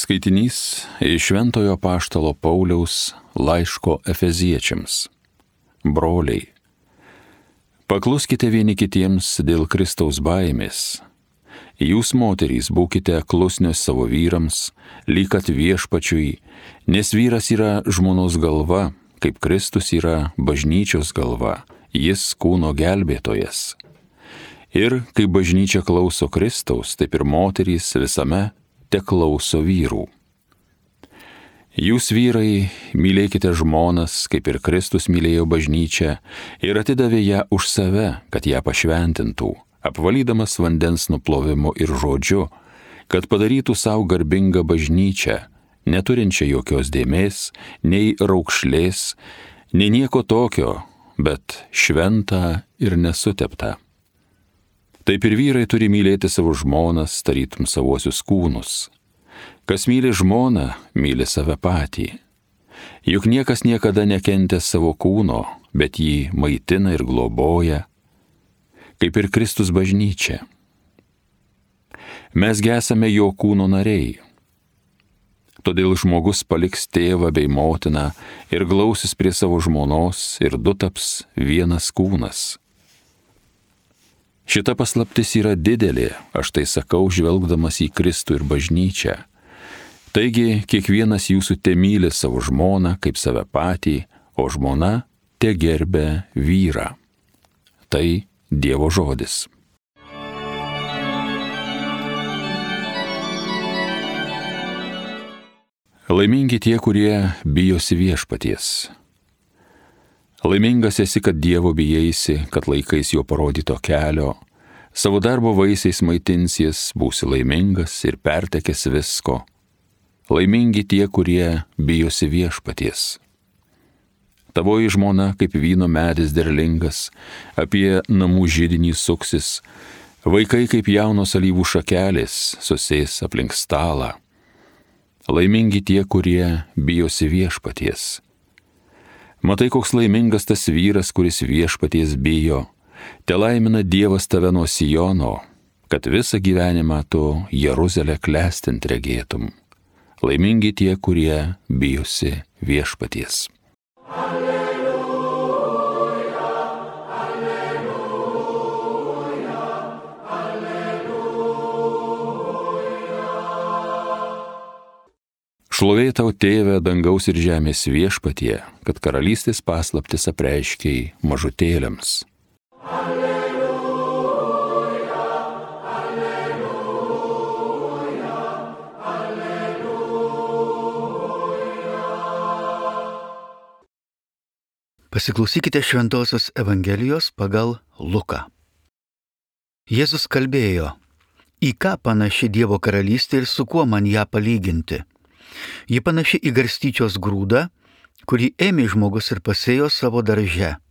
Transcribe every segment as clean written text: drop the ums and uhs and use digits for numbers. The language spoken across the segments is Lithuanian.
Skaitinys iš Šventojo Apaštalo Pauliaus laiško Efeziečiams. Broliai, pakluskite vieni kitiems dėl Kristaus baimės. Jūs, moterys, būkite klusnios savo vyrams, lyg kad viešpačiui, nes vyras yra žmonos galva, kaip Kristus yra bažnyčios galva, jis kūno gelbėtojas. Ir kai bažnyčia klauso Kristaus, taip ir moterys visame te klauso vyrų. Jūs, vyrai, mylėkite žmonas, kaip ir Kristus mylėjo bažnyčią ir atidavė ją už save, kad ją pašventintų, apvalydamas vandens nuplovimu ir žodžiu, kad padarytų savo garbingą bažnyčią, neturinčią jokios dėmės, nei raukšlės, nei nieko tokio, bet šventą ir nesuteptą. Taip ir vyrai turi mylėti savo žmonas, tarytum savuosius kūnus. Kas myli žmoną, myli save patį. Juk niekas niekada nekentė savo kūno, bet jį maitina ir globoja, kaip ir Kristus bažnyčia. Mes esame jo kūno nariai. Todėl žmogus paliks tėvą bei motiną ir glausis prie savo žmonos ir du taps vienas kūnas. Šita paslaptis yra didelė, aš tai sakau, žvelgdamas į Kristų ir bažnyčią. Taigi, kiekvienas jūsų temyli savo žmoną kaip save patį, o žmona te gerbia vyrą. Tai Dievo žodis. Laimingi tie, kurie bijosi viešpaties. Laimingas esi, kad Dievo bijaisi, kad laikais jo parodyto kelio, savo darbo vaisiais maitinsies, būsi laimingas ir pertekęs visko. Laimingi tie, kurie bijosi viešpaties. Tavoji žmona kaip vyno medis derlingas, apie namų židinį suksis, vaikai kaip jaunos alyvų šakelės susės aplink stalą. Laimingi tie, kurie bijosi viešpaties. Matai, koks laimingas tas vyras, kuris viešpaties bijo. Te laimina Dievas tave nuo Siono, kad visą gyvenimą tu Jeruzalę klestint regėtum. Laimingi tie, kurie bijosi viešpaties. Alleluja, alleluja, alleluja. Šlovė tau, Tėve, dangaus ir žemės viešpatie, kad karalystės paslaptis apreiškei mažutėliams. Alleluja, alleluja, alleluja. Pasiklausykite Šventosios Evangelijos pagal Luką. Jėzus kalbėjo, į ką panaši Dievo karalystė ir su kuo man ją palyginti. Ji panaši į garstyčios grūdą, kurį ėmė žmogus ir pasėjo savo darže.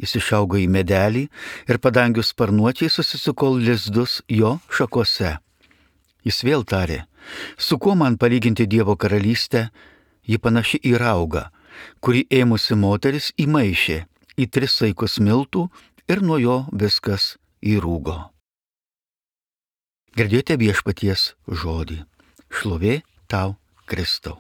Jis išaugo į medelį ir padangių sparnuočiai susisuko lizdus jo šakose. Jis vėl tarė, su kuo man palyginti Dievo karalystę, ji panaši į raugą, kurį ėmusi moteris įmaišė į 3 saikus miltų ir nuo jo viskas įrūgo. Girdėjote viešpaties žodį. Šlovė tau, Kristau.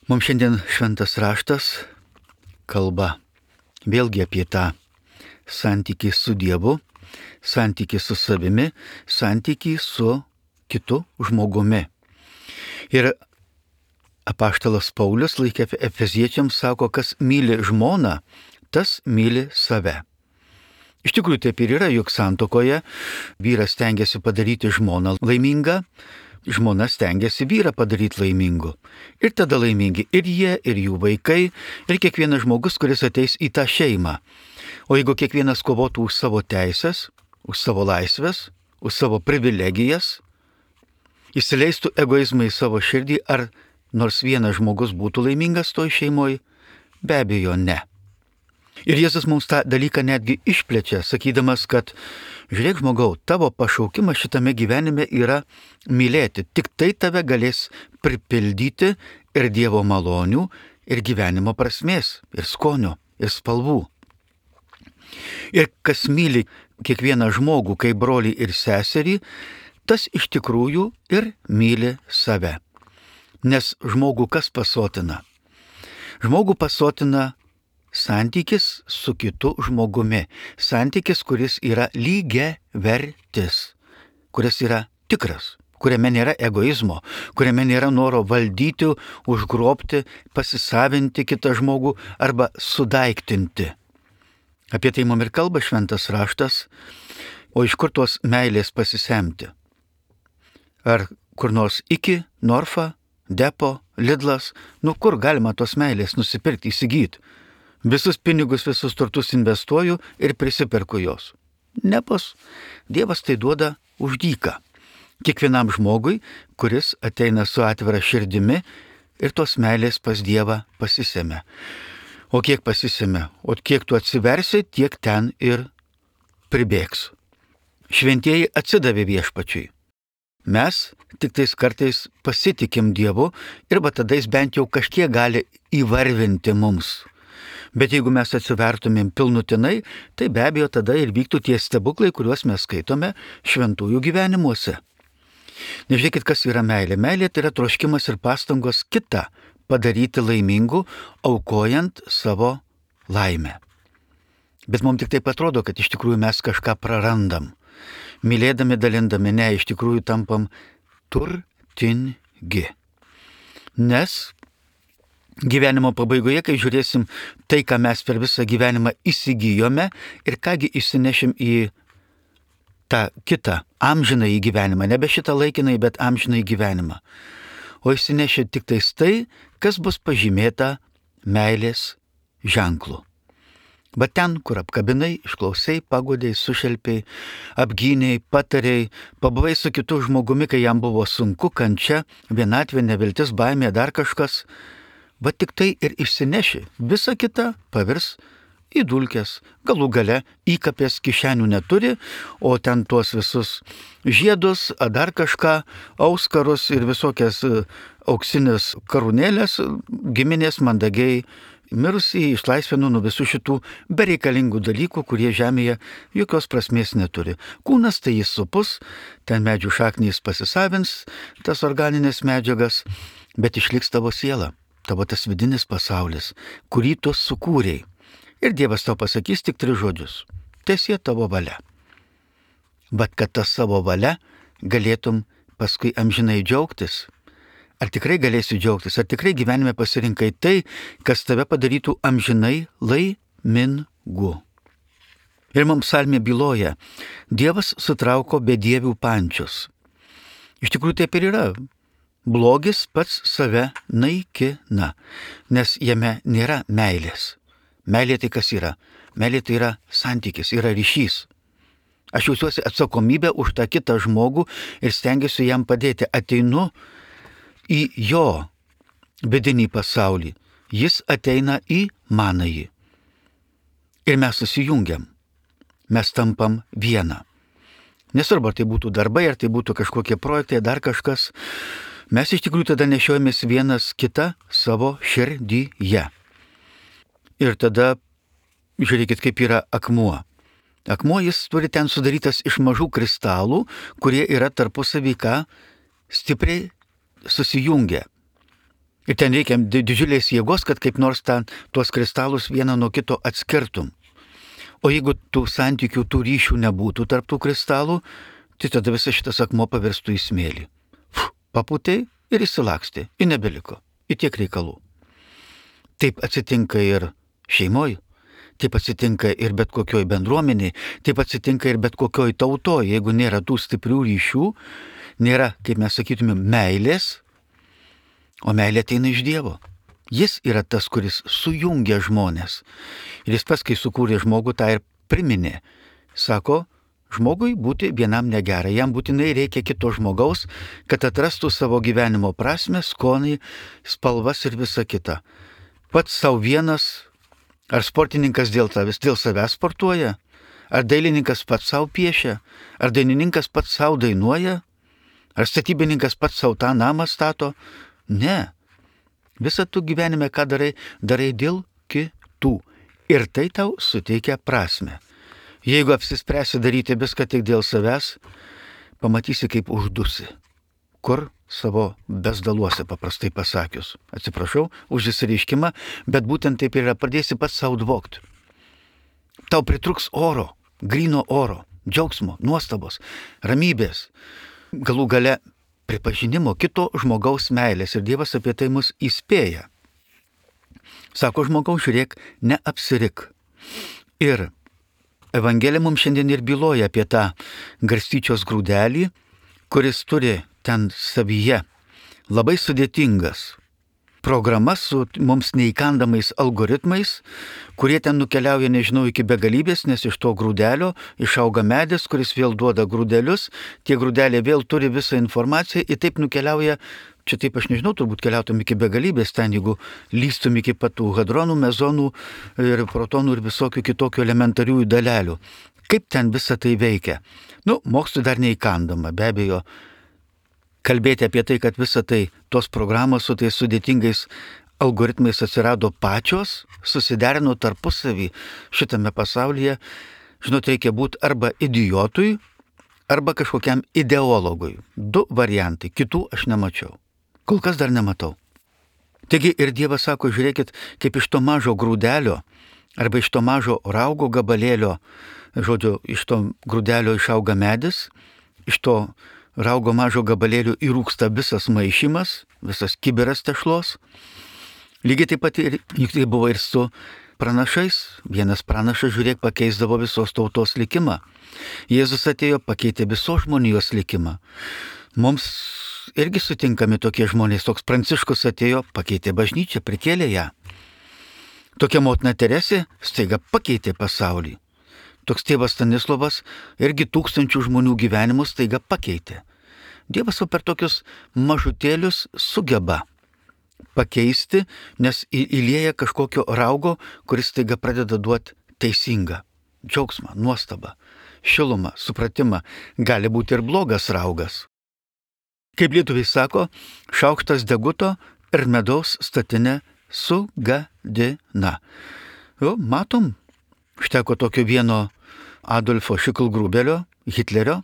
Mums šiandien šventas raštas kalba vėlgi apie tą santykį su Dievu, santykį su savimi, santykį su kitu žmogumi. Ir apaštalas Paulius laiške Efeziečiams sako, kas myli žmoną, tas myli save. Iš tikrųjų taip ir yra, juk santuokoje vyras stengiasi padaryti žmoną laimingą, žmona stengiasi vyrą padaryti laimingu. Ir tada laimingi ir jie, ir jų vaikai, ir kiekvienas žmogus, kuris ateis į tą šeimą. O jeigu kiekvienas kovotų už savo teisės, už savo laisvės, už savo privilegijas, įsileistų egoizmą į savo širdį, ar nors vienas žmogus būtų laimingas toj šeimoje? Be abejo, ne. Ir Jėzus mums tą dalyką netgi išplečia, sakydamas, kad žiūrėk žmogau, tavo pašaukimas šitame gyvenime yra mylėti. Tik tai tave galės pripildyti ir Dievo malonių, ir gyvenimo prasmės, ir skonio, ir spalvų. Ir kas myli kiekvieną žmogų kaip brolį ir seserį, tas iš tikrųjų ir myli save. Nes žmogų kas pasotina? Žmogų pasotina santykis su kitu žmogumi. Santykis, kuris yra lygiavertis, kuris yra tikras, kuriame nėra egoizmo, kuriame nėra noro valdyti, užgrobti, pasisavinti kitą žmogų arba sudaiktinti. Apie tai mums ir kalba šventas raštas, o iš kur tos meilės pasisemti? Ar kur nors iki, Norfa, Depo, Lidlas, kur galima tos meilės nusipirkti, įsigyti? Visus pinigus, visus turtus investuoju ir prisiperku jos. Nebus. Dievas tai duoda už dyką. Kiekvienam žmogui, kuris ateina su atvira širdimi ir tos meilės pas Dievą pasisėmė. O kiek pasisėmė, o kiek tu atsiversi, tiek ten ir pribėgs. Šventieji atsidavė viešpačiui. Mes tik tais kartais pasitikim Dievu ir tada jis bent jau kažkiek gali įvarvinti mums. Bet jeigu mes atsivertumėm pilnutinai, tai be abejo tada ir vyktų tie stebuklai, kuriuos mes skaitome šventųjų gyvenimuose. Nežiūrėkit, kas yra meilė. Meilė tai yra troškimas ir pastangos kitą padaryti laimingu, aukojant savo laimę. Bet mums tik taip atrodo, kad iš tikrųjų mes kažką prarandam. Mylėdami, dalindami, ne, iš tikrųjų tampam turtingi. Nes gyvenimo pabaigoje, kai žiūrėsim tai, ką mes per visą gyvenimą įsigijome ir kągi išsinešim į tą kitą amžinąjį gyvenimą, nebe šitą laikinai, bet amžinąjį gyvenimą. O išsinešė tik tais tai, kas bus pažymėta meilės ženklu. Bet ten, kur apkabinai, išklausai, pagodėjai, sušelpiai, apgynėjai, patarėjai, pabuvai su kitu žmogumi, kai jam buvo sunku, kančia, vienatvė, neviltis, baimė, dar kažkas, bet tik tai ir išsineši. Visa kita pavirs į dulkes. Galų gale įkapės kišenių neturi, o ten tuos visus žiedus, dar kažką, auskarus ir visokias auksinės karūnėlės giminės mandagiai mirusį išlaisvinu nuo visų šitų bereikalingų dalykų, kurie žemėje jokios prasmės neturi. Kūnas tai jis supus, ten medžių šaknys pasisavins tas organinės medžiagas, bet išliks tavo siela, tavo tas vidinis pasaulis, kurį tu sukūrei. Ir Dievas tau pasakys tik 3 žodžius. Teesie tavo valia. Bet kad tas savo valia galėtum paskui amžinai džiaugtis. Ar tikrai galėsi džiaugtis, ar tikrai gyvenime pasirinkai tai, kas tave padarytų amžinai laimingu. Ir mums psalmė byloja, Dievas sutrauko bedievių pančius. Iš tikrųjų taip ir yra. Blogis pats save naikina, nes jame nėra meilės. Meilė tai kas yra? Meilė tai yra santykis, yra ryšys. Aš jaučiuosi atsakomybę už tą kitą žmogų ir stengiuosi jam padėti. Ateinu į jo vidinį pasaulį. Jis ateina į manąjį. Ir mes susijungiam. Mes tampam vieną. Nesvarbu, ar tai būtų darbai, ar tai būtų kažkokie projektai, dar kažkas. Mes iš tikrųjų tada nešiojamės vienas kitą savo širdyje. Ir tada, žiūrėkit, kaip yra akmuo. Akmuo jis turi ten sudarytas iš mažų kristalų, kurie yra tarpusavy stipriai susijungia. Ir ten reikia didžiulės jėgos, kad kaip nors tuos kristalus vieną nuo kito atskirtum. O jeigu tų santykių, tų ryšių nebūtų tarp tų kristalų, tai tada visas šitas akmuo pavirstų į smėlį. Papūtei ir įsilakstė, ir nebeliko, į tiek reikalų. Taip atsitinka ir šeimoje, taip atsitinka ir bet kokioj bendruomeniai, taip atsitinka ir bet kokioj tautoje, jeigu nėra tų stiprių ryšių, nėra, kaip mes sakytume, meilės, o meilė ateina iš Dievo. Jis yra tas, kuris sujungia žmonės. Ir jis pats, kai sukūrė žmogų, tą ir priminė. Sako, žmogui būti vienam negera, jam būtinai reikia kito žmogaus, kad atrastų savo gyvenimo prasmę, skonį, spalvas ir visa kita. Pats savo vienas, ar sportininkas dėl savęs sportuoja, ar dailininkas pats savo piešia, ar dainininkas pats savo dainuoja, ar statybininkas pats savo tą namą stato. Ne. Visą tu gyvenime, ką darai dėl kitų. Ir tai tau suteikia prasme. Jeigu apsispręsi daryti viską tik dėl savęs, pamatysi, kaip uždusi. Kur savo bezdaluose, paprastai pasakius. Atsiprašau už įsireiškimą, bet būtent taip yra, pradėsi pats savo dvokti. Tau pritruks oro, gryno oro, džiaugsmo, nuostabos, ramybės, galų gale pripažinimo kito žmogaus meilės. Ir Dievas apie tai mus įspėja. Sako žmogaus, žiūrėk, neapsirik. Ir Evangelija mums šiandien ir byloja apie tą garstyčios grūdelį, kuris turi ten savyje labai sudėtingas programas su mums neįkandamais algoritmais, kurie ten nukeliauja, nežinau, iki begalybės, nes iš to grūdelio išauga medis, kuris vėl duoda grūdelius, tie grūdeliai vėl turi visą informaciją ir taip nukeliauja, čia taip aš nežinau, turbūt keliautum iki begalybės ten, jeigu lystum iki patų hadronų, mezonų ir protonų ir visokių kitokių elementariųjų dalelių. Kaip ten visa tai veikia? Mokslui dar neįkandama, be abejo. Kalbėti apie tai, kad visa tai, tos programos su tais sudėtingais algoritmais atsirado pačios, susiderino tarpusavį šitame pasaulyje, žinot, reikia būti arba idiotui, arba kažkokiam ideologui. 2 variantai, kitų aš nemačiau. Kol kas dar nematau. Taigi ir Dievas sako, žiūrėkit, kaip iš to mažo grūdelio, arba iš to mažo raugo gabalėlio, žodžiu, iš to grūdelio išauga medis, iš to raugo mažo gabalėlių įrūksta visas maišymas, visas kibiras tešlos. Lygiai taip pat ir tai buvo ir su pranašais. Vienas pranašas, žiūrėk, pakeisdavo visos tautos likimą. Jėzus atėjo, pakeitė visos žmonijos likimą. Mums irgi sutinkami tokie žmonės. Toks Pranciškus atėjo, pakeitė bažnyčią, prikėlė ją. Tokia motina Teresė staiga pakeitė pasaulį. Toks tėvas Stanislovas irgi tūkstančių žmonių gyvenimus staiga pakeitė. Dievas per tokius mažutėlius sugeba pakeisti, nes įlieja kažkokio raugo, kuris staiga pradeda duoti teisingą džiaugsmą, nuostabą, šilumą, supratimą. Gali būti ir blogas raugas. Kaip lietuviai sako, šaukštas deguto ir medaus statinę sugadina. Matom, užteko tokio vieno Adolfo Šiklgrubelio, Hitlerio,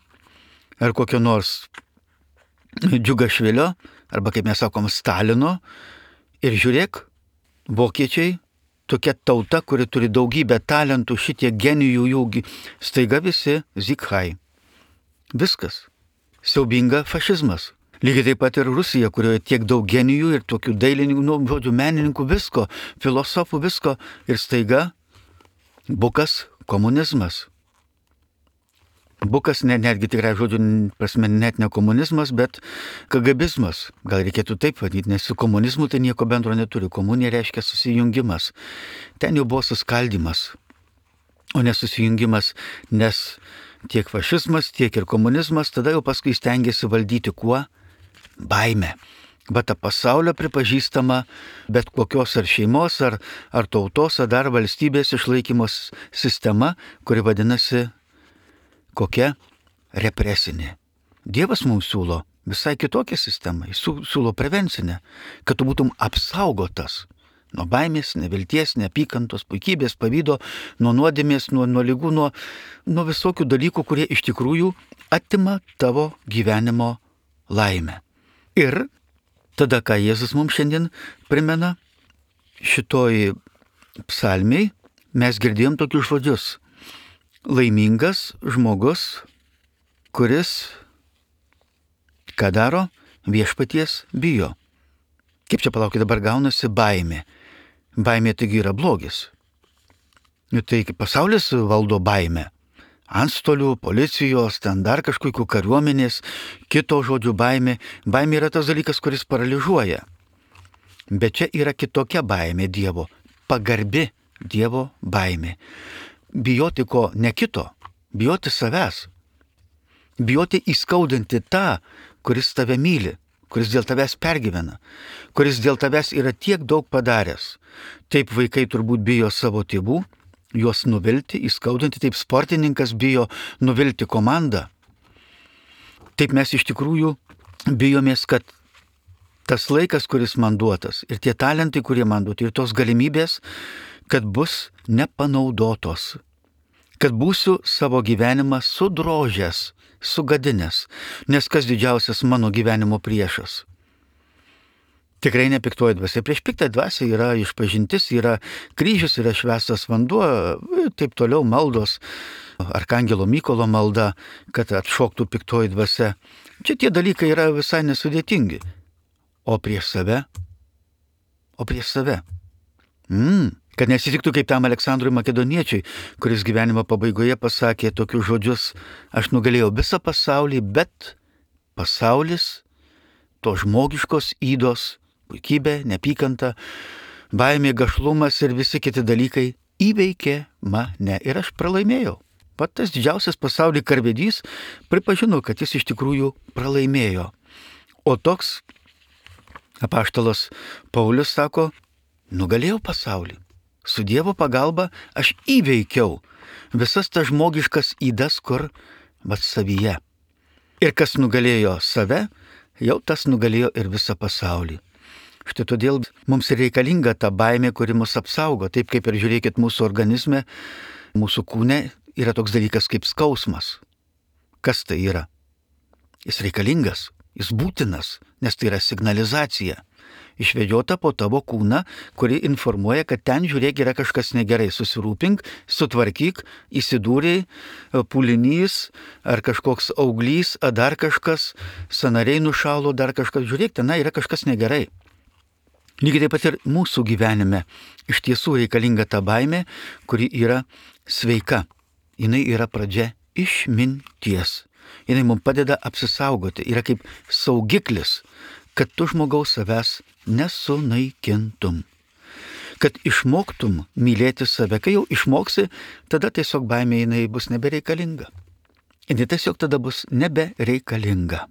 ar kokio nors Džiugašvilio, arba kaip mes sakom, Stalino. Ir žiūrėk, vokiečiai, tokia tauta, kuri turi daugybę talentų, šitie genijų jų, staiga visi zikhai. Viskas. Siaubinga fašizmas. Lygiai taip pat ir Rusija, kurioje tiek daug genijų ir tokių dailininkų, menininkų, visko, filosofų, visko. Ir staiga bukas komunizmas. Bukas netgi tikrai žodžiu prasme net ne komunizmas, bet kagabizmas. Gal reikėtų taip vadinti, nes su komunizmu tai nieko bendro neturi. Komunija reiškia susijungimas. Ten jau buvo suskaldimas, o ne susijungimas, nes tiek fašizmas, tiek ir komunizmas tada jau paskui stengiasi valdyti kuo? Baime. Bet ta pasaulio pripažįstama bet kokios ar šeimos, ar tautos, ar dar valstybės išlaikymos sistema, kuri vadinasi kokia? Represinė. Dievas mums siūlo visai kitokią sistemą, jis siūlo prevencinę, kad tu būtum apsaugotas nuo baimės, nevilties, neapykantos, puikybės, pavydo, nuo nuodėmės, nuo ligų, nuo visokių dalykų, kurie iš tikrųjų atima tavo gyvenimo laimę. Ir tada, ką Jėzus mums šiandien primena, šitoj psalmiai mes girdėjom tokius žodžius. Laimingas žmogus, kuris, ką daro, viešpaties bijo. Kaip čia palaukit dabar gaunasi baimė. Baimė taigi yra blogis. Tai pasaulis valdo baimę. Antstolių, policijos, ten dar kažkokių kariuomenės, kito žodžių baimė. Baimė yra tas dalykas, kuris paralyžuoja. Bet čia yra kitokia baimė Dievo. Pagarbi Dievo baimė. Bijoti ko ne kito, bijoti savęs. Bijoti įskaudinti tą, kuris tave myli, kuris dėl tavęs pergyvena, kuris dėl tavęs yra tiek daug padaręs. Taip vaikai turbūt bijo savo tėvų, juos nuvilti, įskaudinti, taip sportininkas bijo nuvilti komandą. Taip mes iš tikrųjų bijomės, kad tas laikas, kuris man duotas, ir tie talentai, kurie man duoti, ir tos galimybės, kad bus nepanaudotos, kad būsiu savo gyvenimą sudrožęs, sugadinęs, nes kas didžiausias mano gyvenimo priešas? Tikrai ne piktoji dvasia. Prieš piktą dvasią yra išpažintis, yra kryžius, yra švęstas vanduo, taip toliau maldos, Arkangelo Mykolo malda, kad atšoktų piktoji dvasia. Čia tie dalykai yra visai nesudėtingi. O prieš save? Kad nesitiktų kaip tam Aleksandrui Makedoniečiui, kuris gyvenimo pabaigoje pasakė tokius žodžius: aš nugalėjau visą pasaulį, bet pasaulis, to žmogiškos ydos, puikybė, neapykanta, baimė, gašlumas ir visi kiti dalykai įveikė mane ir aš pralaimėjau. Pat tas didžiausias pasaulį karvedys pripažino, kad jis iš tikrųjų pralaimėjo. O toks apaštalas Paulius sako: nugalėjau pasaulį. Su Dievo pagalba aš įveikiau visas tas žmogiškas ydas, kur savyje. Ir kas nugalėjo save, jau tas nugalėjo ir visą pasaulį. Štai todėl mums ir reikalinga ta baimė, kuri mus apsaugo. Taip kaip ir žiūrėkit mūsų organizme, mūsų kūne yra toks dalykas kaip skausmas. Kas tai yra? Jis reikalingas, jis būtinas, nes tai yra signalizacija. Išvedžiota po tavo kūną, kuri informuoja, kad ten, žiūrėk, yra kažkas negerai. Susirūpink, sutvarkyk, įsidūrei, pūlinys, ar kažkoks auglys, ar dar kažkas, sąnariai nušalo, dar kažkas. Žiūrėk, ten yra kažkas negerai. Lygiai taip pat ir mūsų gyvenime iš tiesų reikalinga ta baimė, kuri yra sveika. Jinai yra pradžia išminties. Jinai mums padeda apsisaugoti. Yra kaip saugiklis, kad tu žmogaus savęs nesunaikintum. Kad išmoktum mylėti save. Kai jau išmoksi, tada tiesiog baimė jinai bus nebereikalinga. Jinai tiesiog tada bus nebereikalinga.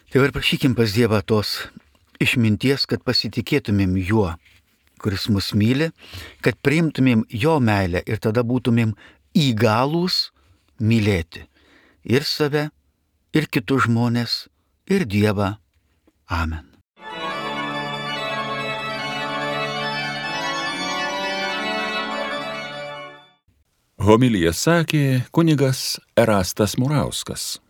Tai ir prašykim pas Dievą tos išminties, kad pasitikėtumėm juo, kuris mus myli, kad priimtumėm jo meilę ir tada būtumėm įgalūs mylėti ir save, ir kitus žmonės, ir Dievą. Amen. Homiliją sakė kunigas Erastas Murauskas.